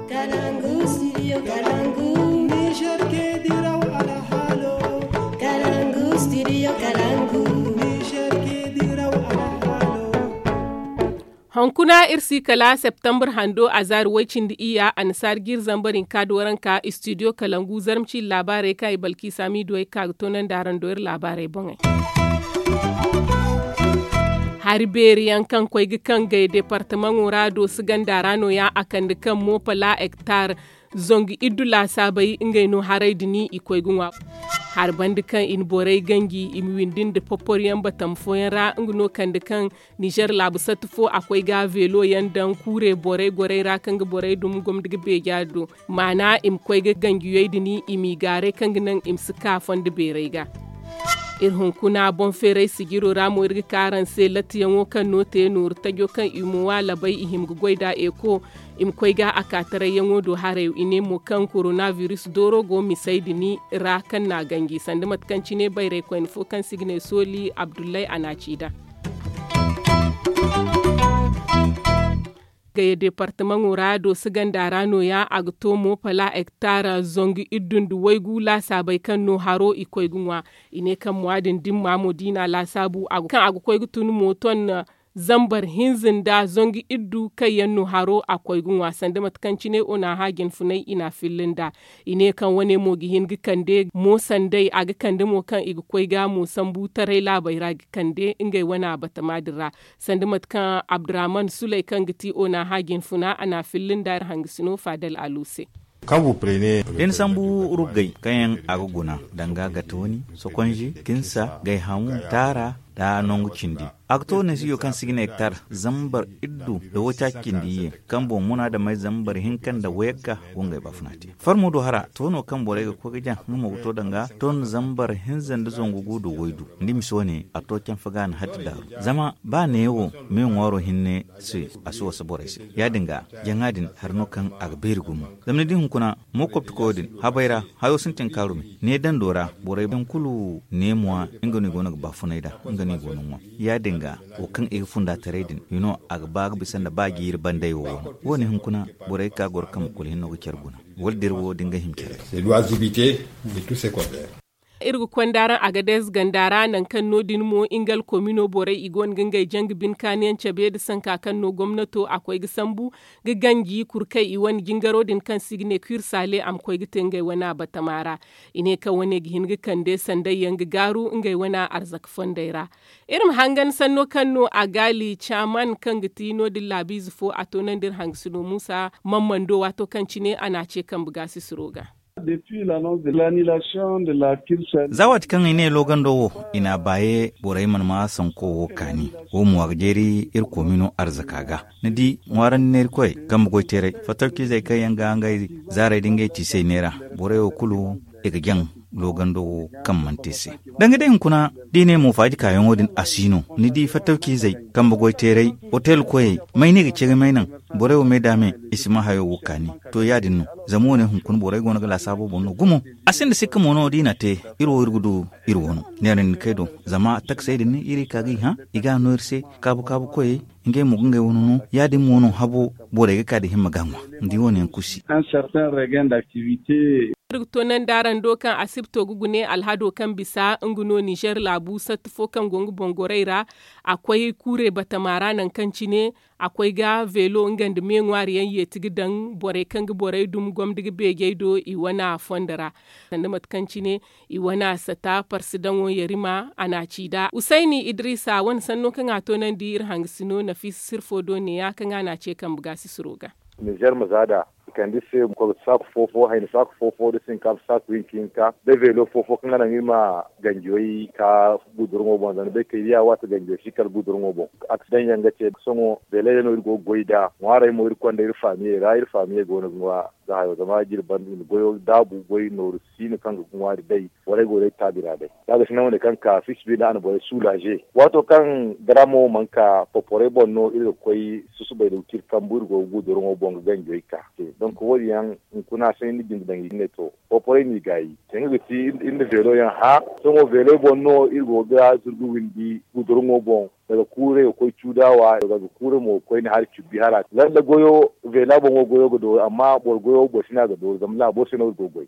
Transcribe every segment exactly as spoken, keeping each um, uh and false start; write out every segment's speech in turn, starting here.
Kalangu studio kalangu. Niger ke diraw alhalo. Kalangu studio kalangu. Niger ke diraw alhalo. Hunkuna iri si kala septembre hando a zaari way-cindi iyya annasaari jiiri zambar hinka dooranka studio kalangu zarma ciiri laabaarey kaŋ i balki saamiiduwey ka ga toonandi araŋ do iri laabaarey boŋey. Hari beeri yaŋ kaŋ koy ga kaŋ gay departamaŋo ra doosi ganda ra no- ya a kande kaŋ moopala hektar zangu iddu laasaabey ngey no haray din i koy ga ŋwa. Hari banda kaŋ i na borey ganji i ma windi nda popporiyaŋ batama fooyaŋ ra nga no kande kaŋ nizer laabu satti fo a koy ga veelo yaŋ daŋ kuure borey gorey ra kaŋ ga borey dum gomdi ga beeja do maana i ma koy ga ganjiyey din i m'i gaaray kaŋ ga naŋ i ma si ka fondo beerey ga. Iri hunkuna boŋ feeray sijiro ra mo iri ga ka araŋ se lattiyaŋo kaŋ no te nooru tajo kaŋ i mo waalabay i hima ga goy nd'a eeko i ma koy ga a ka tarayyaŋo do haray i ne mo kaŋ korona biris dooro go misey din ra kaŋ n'a ganji sanda mate kaŋ cine bayraykoyne fo kaŋ se i ga ne sooli abdullay a n'a ci nd'a. Gaya departamaŋo ra dooso ganda ra no- ya a ga to mo pala hektar zangu iddu nda waygu laasaabey kaŋ no haro i koy ga ŋwa. I ne kaŋ mo- ya- din dimma mo da i n'a laasaabu kaŋ a ga koy ga tun mo ton zambar hinza nda zangu iddu kaŋ yaŋ no haro a koy ga ŋwa sanda mate kaŋ cine ona hã jinfunay i n'a filla nd'a. I ne kaŋ wane mo ga hin ga kande mo sanday a ga kande mo kaŋ i ga koy ga mo sambu taray laabey ra ga kande ngey wane batama din ra. Sanda mate kaŋ abdurrahman suley kaŋ ga ti ona hã jinfuna a n'a filla nda iri hangasino faadal alu se. Da ni sambu ruggay kaŋ yaŋ a ga guna danga gatooni sokonji kinsa gayhamu taara nda nangu cindi. A ga to neesiyo kaŋ si ga ne hektar zambar iddu nda waytaaci cindi iyye kaŋ boŋ muna damey zambar hinka nda wayagga go ngey baafuna te. Farmo do hara to no kaŋ borey ga koy ga jaŋ nga mo ga to danga ton zambar hinza nda zangu gu nda waydu. Ni ma si wane a to canfa ga a na hatti daaru. Zama ba neewo me ŋwaaro hinne se a si wasa borey se. Ya- din ga jaŋa din hari no kaŋ a ga beeri gumo. Zama ni di hunkuna mo kopti koyo din habay ra hayo sintin kaaru me ne dando ra borey yaŋ kulu neemuwa nga no i go no ga baafunay nd'a. Nga no i go no ŋwa ya- din ga wo kaŋ i ga funda taray din i no a ga ba ga bisa nda ba jiiri banday wo wane wo- ne hunkuna borey ga ka goro kambe kulu hinno ga care guna. Wala dira wo da nga hima care. Iri ga konda araŋ a ga dees ganda ra nangu kaŋ no- din mo nga alkomino borey i go no ga ngey jangu bine kaani yaŋ cabe nda sanka kaŋ no gomnato a koy ga sambu ga ganji kurkay i wane jingaro din kaŋ se i ga ne kwirsale a ma koy ga te ngey wane batama ra. I ne kaŋ wane ga hin ga kande sanday yaŋ ga gaaru ngey wane arzaka fondey ra. Iri ma hangan sanno kaŋ no a gaali caaman kaŋ ga ti no- din laabiize fo a toonandi iri hangasino muusa mammando waato kaŋ cine a n'a ce kambe gaasisiro ga. Za waati kaŋ i ne loogando wo i n'a baaye borey mana maa sanko wo kaani. Wo mo a ga jeeri iri koomino arzaka ga. Ni di ŋwaarandi neerikoyey kambe goyteeray fattawciizey kaŋ yaŋ ga ngey zaarey nda ngey tiisey neera borey wo kulu i ga jaŋ loogando wo kaŋ mana te se. Danga day hunkuna da i ne mo faaji kaayaŋo din a si no ni di fattawciizey kambe goyteeray otel koyey may no i ga ce ga may naŋ borey wo me da me i si maa hayo wo kaani. To ya- din no zama wo- ne hunkuna borey go no ga laasaabo boŋ no gumo. A sinda sikka mo no da i na te iri wo iri ga du iri wo no neera ni kay do. Zama takasey din iri ka ga i hã i ga a no iri se kaabu kaabu koyey ngey mo ga ngey wane no ya- din mo no habo borey ga ka da himma ga ŋwa. Ni di wo- ne yaŋ kulu si. Iri ga toonandi araŋ do kaŋ asibto ga gune alhado kaŋ bisa nga no nizer laabu satti fo kaŋ go nga boŋ gorey ra. A koy kuurey batama ra nangu kaŋ cine a koy ga veelo nga nda me ŋwaari yaŋ yeeti ga daŋ borey kaŋ ga borey dum gomdi ga beejey do i wane fondo ra. Sanda mate kaŋ cine i wane sata parsi daŋo yarima a n'a ci nd'a usayni idiriisa wane sanno kaŋ a toonandi iri hangasino nafiisa sirfo do neeya kaŋ a n'a ce kambe gaasisiro ga. Nizer ma za nd'a i kande se ma koy ga saaku fo-fo hayni saaku fo-fo da sinkafa saaku hinka hinka da veelo fo-fo kaŋ ga naŋ iri ma ganjiyoy ka gudurŋo boŋ zama ni bay kay ya waati ganjiyoy si kala gudurŋo boŋ. Aksidaŋ yaŋ ga te sohõ veeley day no iri go ga goy nd'a ŋwaarey mo iri konda iri faamiyey ra iri faamiyey go no ga ŋwa. Za hayo zama jiri banda i na goyo daabu goy nooru siino kaŋ ga ŋwaari day. Borey go day taabi ra day za ga si naŋ wane kaŋ ka fiisabilillahi a na borey suulaaze. Waato kaŋ daraamo mana ka poporey boŋ no iri ga koy susubay da ga ci iri kambu iri go ga gudurŋo boŋ ga ganjoy ka te donk wo- din yaŋ hunkuna se ni na binde daŋ i ga ne to poporey no i gaayi. Te nga ga ti iri na veelo yaŋ hã. Sohõ veeley boŋ no iri go ga zurgu windi gudurŋo boŋ. daga kuuray ga koy cuudawa daga kuuray mo ga koy ni hari cubbi hara lalla goyo veela boŋo goyo ga dooru amma boro goyo boro si no a ga dooru zama laabo se no iri go ga goy.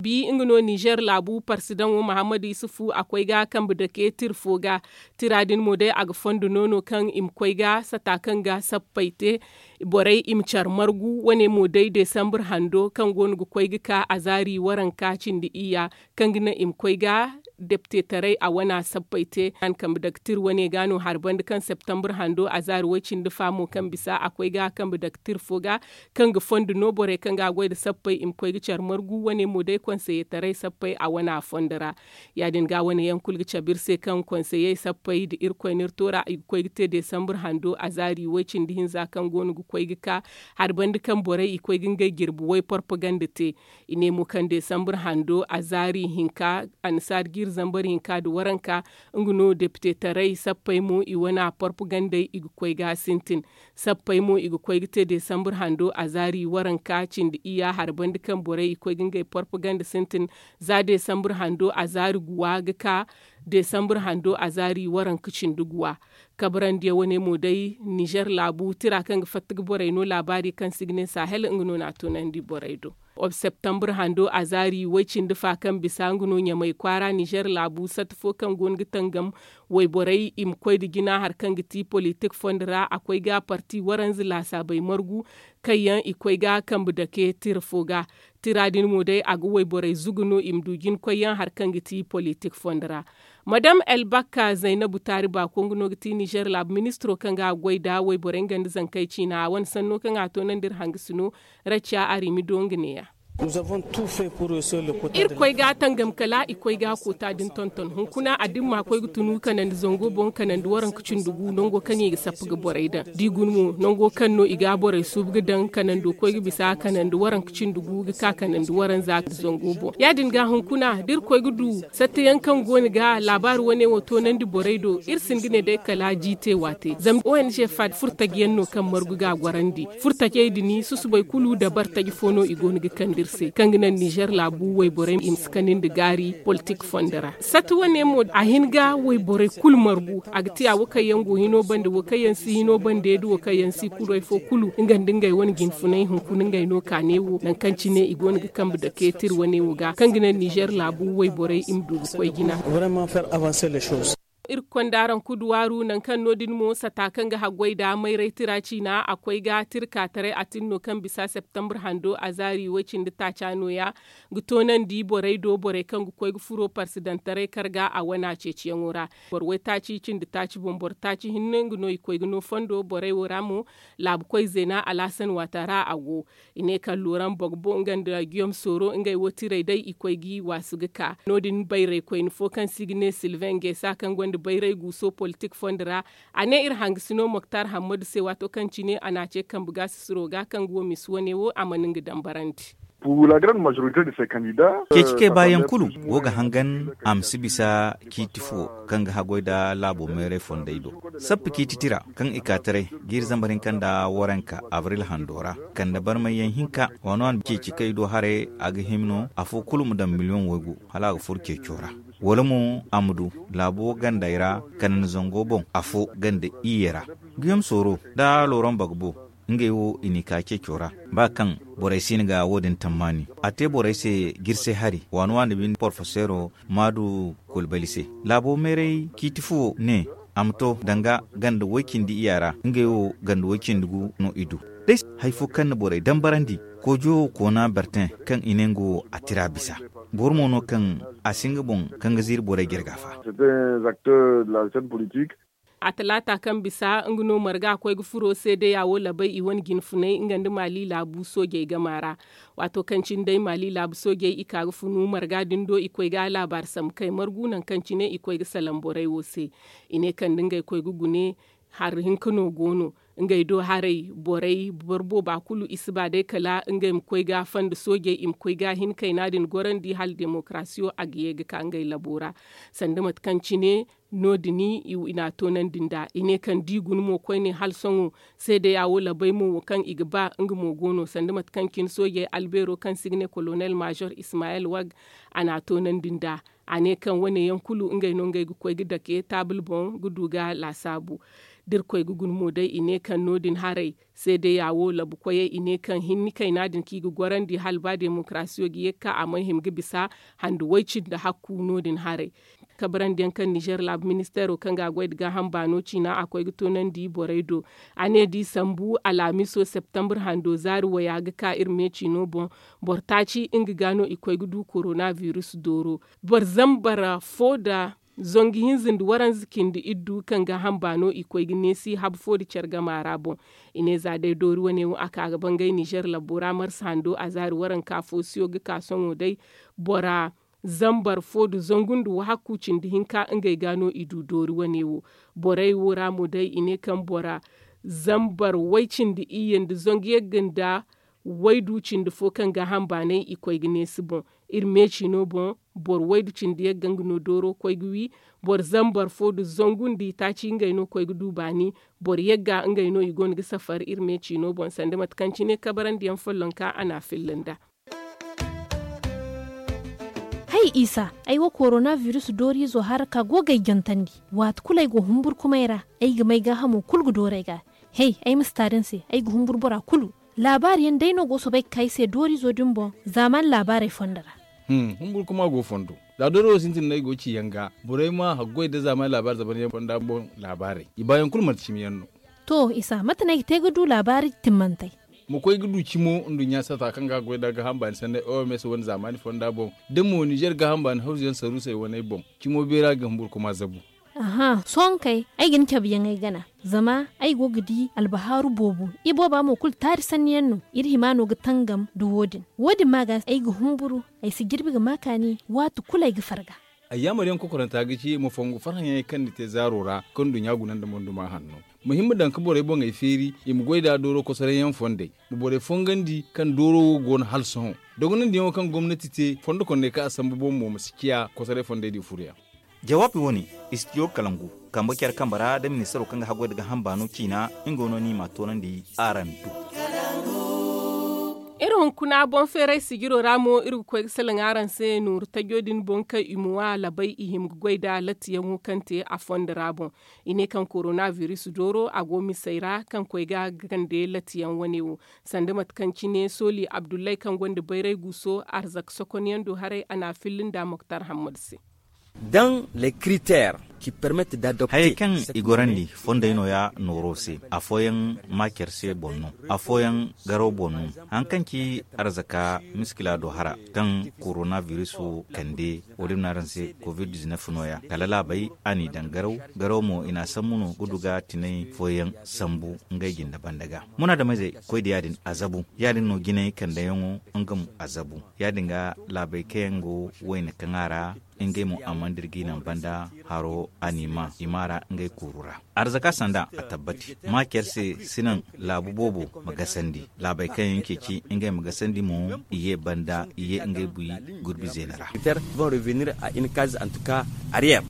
Bi nga no nizer laabu parsidaŋo mahammadu isufu a koy ga kambe dake tira fo ga. Tira din mo day a ga fondo noono kaŋ i ma koy ga sata kaŋ ga sappey te borey i ma care margu wane mo day desambre hando kaŋ go no ga koy ga ka a zaari waranka cindi iyya kaŋ ga naŋ i ma koy ga deptetaray a wana sappey te. Kambe dake tira wane ga no hari banda kaŋ septembre hando a zaari way- cindi fa mo kaŋ bisa a koy ga kambe dake tira fo ga kaŋ ga fondo no borey kaŋ ga a goy nda sappey i ma koy ga care margu wane mo day konseyetaray sappey a wana fondo ra. Ya- din ga wane yaŋ kulu ga cabe iri se kaŋ konseyey sappey nda irkoy no iri to ra i ga koy ga te desambre hando a zaari way- cindi hinza kaŋ go no ga koy ga ka hari banda kaŋ borey i koy ga ngey jirbi way porpaganda te. I ne mo kaŋ desambre hando a zaari hinka annasaari jiiri zambar hinka nda waranka nga no depitetaray sappey mo i wana porpagandey i ga koy ga a sintin. Sappey mo i ga koy ga te desambre hando a zaari waranka cindi iyya hari banda kaŋ borey i koy ga ngey porpaganda sintin. Za desambre hando a zaari guwa ga ka desambre hando a zaari waranka cindi guwa. Kabrandi yaŋ wane mo day nizer laabu tira kaŋ ga fatta ga borey no laabaari kaŋ si ga ne sahel nga no na a toonandi borey do. Septembre hando a zaari way- cindi fa kaŋ bisa nga no ɲamay kwaara nizer laabu sata fo kaŋ go no ga tangam wayborey i ma koy nda jina hari kaŋ ga ti politik fondo ra a koy ga parti waranza laasaabey margu kaŋ yaŋ i koy ga kambe dake tira fo ga. Tira din mo day a ga wayborey zugu no i ma du jina koy yaŋ hari kaŋ ga ti politik fondo ra. Madam elbakka zaynabu taari baako nga no ga ti nizer laabu ministiro kaŋ ga a goy nda wayborey nga nda zankey ciina a wane sanno kaŋ a toonandi iri hangasino. Racca arimido nga neeya. Iri koy ga a tangam kala i koy ga a koota din tonton hunkuna a dimma koy ga tunu kanandi zango boŋ kanandi waranka cindi gu nango kaŋ i ga sappa ga borey daŋ da i guna mo nango kaŋ no i ga a borey suubu ga daŋ kanando koy ga bisa kanandi waranka cindi gu ga ka kanandi waranza zango boŋ ya- din ga hunkuna da iri koy ga du satta yaŋ kaŋ go ni ga laabaari wane wo toonandi borey do iri si hin ga ne day kala jiite waate zama ong fad furtaji yaŋ no kaŋ margu ga a gorandi. Furtajey din susubay kulu dabar taji fo no i go no ga kande iri se kaŋ ga naŋ nizer laabu wayborey i ma si kande nda gaari politik fondo ra satta wane mo a hin ga wayborey kulu margu a ga te a wo kaŋ yaŋ go hino bande wo kaŋ yaŋ si hino bande nda wo kaŋ yaŋ si kulu hay fo kulu nga nda ngey wane jinfunay hunkuna ngey no kaane wo nangu kaŋ cine i go no ga kambe dake tira wane wo ga kaŋ ga naŋ nizer laabu wayborey i ma du ga koy jina. Iri ga konda araŋ kuduwaaru nangu kaŋ no- din mo sata kaŋ ga haggoy nda mayray tira ciina a koy ga tira ka taray a tin no kaŋ bisa septembre hando a zaari way- cindi taaca nooya ga toonandi borey do borey kaŋ ga koy ga furo parsidantaray karga a wana ceeciyaŋo ra. Boro waytaaci cindi taaci boŋ boro taaci hinne nga no i koy ga no fondo borey wo ra mo laabu koy zeena alaasan waata ra a go. I ne kaŋ loran bogbo nga nda giyom sooro ngey wo tiray day i koy ga i waasu ga ka no- din bayray koyne fo kaŋ se i ga ne silven geesa kaŋ gonda bayray guuso politik fondo ra. A ne iri hangasino moktar hammadu se waato kaŋ cine a na a ce kambe ga sisiro ga kaŋ ga wo misi wane wo a mana nga dambarandi. Ceeci kay baayaŋ kulu go ga hangan a ma si bisa ciiti fo kaŋ ga haggoy nda laabo meeray fondey do. Sappa ciiti tira kaŋ i ka taray jiiri zambar hinka nda waranka abril hando ra kande barmayyaŋ hinka waano a na ceeci kay do haray a ga hima no afo kulu ma daŋ miliyoŋ waygu hala a ga furo ceeco ra. Wala mo a ma du laabo gandey ra kanandi zango boŋ afo ganda iyye ra. Giyom sooro nda loran bagbo ngey wo i n'i ka ceeco ra ba kaŋ borey si hin ga wo- din tammaani a te borey se jirse hari waani waani binde porfeseero maadu kulbali se. Laabo meeray ciiti fo ne a ma to danga ganda way- cindi iyya ra ngey wo ganda way- cindi gu no i du. Day hari fo kaŋ na borey dambarandi koojo koona bertin kaŋ i ne nga wo a tira bisa. Boro mo no kaŋ a si nga boŋ kaŋ ga ziiri borey jarga fa. A talaata kaŋ bisa nga no marga koy ga furo seedeya wo labay i wane jinfunay nga nda maali laabu soojey gama ra. Waato kaŋ cine day maali laabu soojey i ka ga funu marga din do i koy ga laabaari sambu kay margu nangu kaŋ cine i koy ga salaŋ borey wo se. I ne kaŋ da ngey koy ga gune hari hinka no go no. Ngey do haray borey boro booba kulu i si ba day kala ngey ma koy ga fanda soojey i ma koy ga hin kayna din gorandi hala demokarasiyo a ga ye ga ka ngey labo ra. Sanda mate kaŋ cine no- din i n'a toonandi nd'a i ne kaŋ da i guna mo koyne hala sohõ seedeya wo labay mo wo kaŋ i ga ba nga mo go no sanda mate kaŋ cine soojey albeero kaŋ se i ga ne kolonel maazor ismayel wag a n'a toonandi nd'a. A ne kaŋ wane yaŋ kulu ngey no ngey ga koy ga dake taabul boŋ ga du ga laasaabu. Da irkoy ga guna mo day i ne kaŋ no- din haray seedeya wo labu koyey i ne kaŋ hinni kayna din kaŋ i ga gorandi hala ba demokarasiyo ga ye ga ka a mana hima ga bisa handu way-cindi hakku no- din haray. Kabrandi yaŋ kaŋ nizer laabu ministeero kaŋ ga a goy nda gaaham baano ciina a koy ga toonandi borey do. A ne da i sambu alhamiso septembre hando zaari waya ga ka iri meeciino boŋ, boro taaci nga ga no i koy ga du korona virus dooro. Boro zambar fo nda zangu hinza nda waranza cindi iddu kaŋ gaaham baano i koy ga neesi habu fo nda care gama ra boŋ. I ne za day doori wane wo a ka ga bangay nizer labbo ra marsa hando a zaari waranka foosiyo ga ka sohõ day bora zambar fo nda zangu nda wahakku cindi hinka ngey ga no i du doori wane wo. Borey wo ra mo day i ne kaŋ bora zambar way cindi iyye nda zangu yagga nda waydu cindi fo kaŋ gaaham baanay i koy ga neesi boŋ. Iri meeciino boŋ boro waydu cindi yagga nga no dooro koy ga wi. Boro zambar fo nda zangu nda itaaci ngey no koy ga du baani. Boro yagga ngey no i go no ga safar iri meeciino boŋ sanda mate kaŋ cine kabarandiyaŋ follonka a n'a filla nd'a. Hay isa, ay wo korona virus dooriizo hara ka go ga ay jantandi. Waati kulu ay go humburkumay ra, ay ga may gaahamo kulu ga dooru ay ga. Hey, ay ma si taari ni se, ay ga humbur bora kulu. Laabaari yaŋ day no go soobay ga ka ay se dooriizo din boŋ zaaman laabaarey fondo ra. Humburkuma go fondo. Za dooriizo sintin no ay go ga ci yaŋ ga borey ma haggoy nda zaaman laabaari zaban yaŋ fonda boŋ laabaarey i baayaŋ kulu manti cimi yaŋ no. To isa mate no ay ga te ga du laabaari timmantey? Ma koy ga du cimo nduɲɲa sata kaŋ ga goy nda gaaham baani sanney oms wane zaamaani fonda boŋ, da mo nizer gaaham baani hawzu yaŋ saruusey waney boŋ. Cimo beera ga humburkuma zabu. Aha sohõ kay, ay ga ni cabe yaŋey gana. Zama ay go ga di albahaaru boobo. Ibooba mo kulu taari sanni yaŋ no. Iri hima no ga tangam nda wo- din. Wo- din ma ga ay ga humburu. Ay si jirbi ga ma kaani waati kulu ay ga farga. Ay yaamar yaŋ kokoranta ga ci ma fongu farhã yaŋey kaŋ ni te zaaro ra kaŋ nduɲɲa guna nda monduma hanno. Ma hin ma daŋ ga borey boŋey feeri i ma goy nda dooro kosoray yaŋ fondey. Ma borey fongandi kaŋ dooro wo go no hala sohõ. Dogonandiyaŋo kaŋ gomnati te fondo kondey kaŋ a sambu boŋ mo ma si ciya kosoray fondey di furu yaŋ. Jawaabi wo- ne, istidiyo kalangu kambe care kambe ra nda ministaro kaŋ ga haggoy nda gaaham baano ciina. Nga no no i m'a toonandi araŋ do. Iri hunkuna boŋ feeray sijiro ra mo iri ga koy ga salaŋ araŋ se nooru tajo din boŋ kaŋ i ma wa labay i hima ga goy nda lattiyaŋo kaŋ te a fondo ra boŋ. I ne kaŋ korona biris dooro a go misey ra kaŋ koy ga gande lattiyaŋ wane wo. Sanda mate kaŋ cine sooli abdullay kaŋ gonda bayray guuso arzak sokonyaŋ do haray a n'a filli nda moktar hammad se. Daŋ le kiritere ki permet da adopte. Hayey kaŋ i gorandi fondey nooya nooro se. Afooyaŋ maacer se boŋ no. Afooyaŋ garaw boŋ no. Haŋ kaŋ ci arzaka miskila do hara kaŋ korona biriso kande. Wo- din no araŋ se kovid dizinef nooya kala laabey a n'i daŋ garaw. Garaw mo i n'a sambu no ga du ga tinay fooyaŋ sambu ngey jinde banda ga. Munaadameyzey koy da ya- din a zabu. Ya- din no jinay kandeyaŋo nga mo a zabu. Ya- din ga laabey kaŋ yaŋ go wayna kaŋ a ra. Ngey mo a mana dira g'i naŋ banda haro a n'i ma i ma ra ngey kuuru ra. Arzaka sanda a tabbati. Maacer se si naŋ laabu boobo ma gasandi. Laabey kaŋ yaŋ ceeci ngey ma gasandi mo i ye banda i ye ngey buy gurbi zeena ra.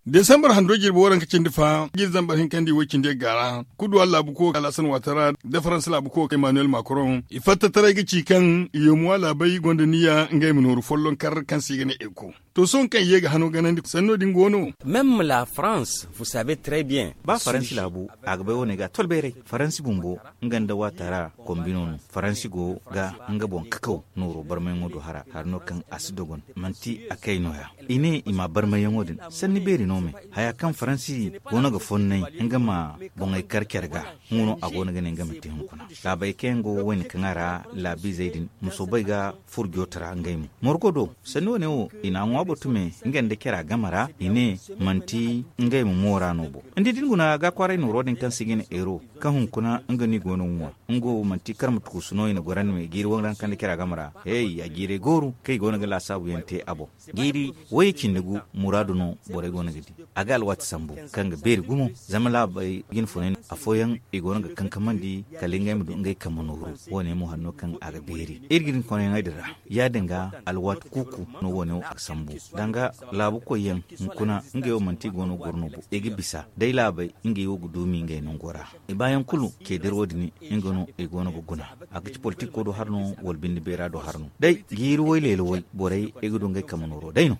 Desambar hando jirbi waranka cindi fa jiri zambar hinka nda i way cindi yagga ra kuduwa laabu ko alasan watara da faransa laabu ko emmanuel macron i fatta taray ga ci kaŋ i yomuwa laabey gonda niya ngey ma nooru follonkar kaŋ se i ga ne eko. To sohõ kaŋ i ye ga hano ganandi sanno din go no. Meme la france vous savez très bien. Ba faransi laabu a ga bay wane ga tolbayray. Faransi bumbo nga nda waatara kombino no. Faransi go ga nga boŋ kakaw nooro barmayaŋo do hara hari no kaŋ a si dogon. Manti a kay nooya i ne i ma barmayaŋo din sanni beeri no me. Haya kaŋ faransi go no ga fonnay nga ma boŋey kar care ga. Huno a go no ga ne nga ma te hunkuna laabey kaŋ yaŋ go wayne kaŋ a ra laabiizey din ma soobay ga furo jooto ra ngey mo. Morgo do sanni wane wo i n'a ŋwa boro tume nga nda cara game ra i ne manti ngey ma moora no bo. Ni di da ni guna ga kwaaray nooro din kaŋ se i ga ne eero kaŋ hunkuna nga no i go no ga ŋwa. Nga wo manti karma tukusu no i na gorandi me jiiri waranka nda cara game ra. Hey a jiirey gooru kaŋ i go no ga laasaabu yaŋ te a boŋ. Jiiri wayye cindi gu muraadu no borey go no ga di. A ga alwaati sambu kaŋ ga beeri gumo zama laabey jinfunay no afooyaŋ i go no ga kankamandi kala ngey ma du ngey kambe nooru. Wo- ne mo hari no kaŋ a ga beeri iri ga hin konayaŋey din ra. Ya- din ga alwaati kuuku no wo- ne wo a ga sambu. Danga laabu koyyaŋ, hunkuna ngey wo manti i go no ga goro no bo, i ga bisa day laabey ngey wo ga duumi ngey nango ra. I baayaŋ kulu, ceediro din nga no i go no ga guna. A ga ci politiko do har no, wala binde beera do har no, day jiiri woy leela woy borey i ga du ngey kamanooro day no.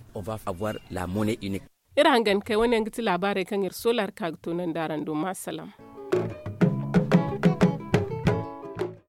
Iri hangan kay wane yaŋ ga ti laabaarey kaŋ iri soolaari ka ga toonandi araŋ do ma salaŋ.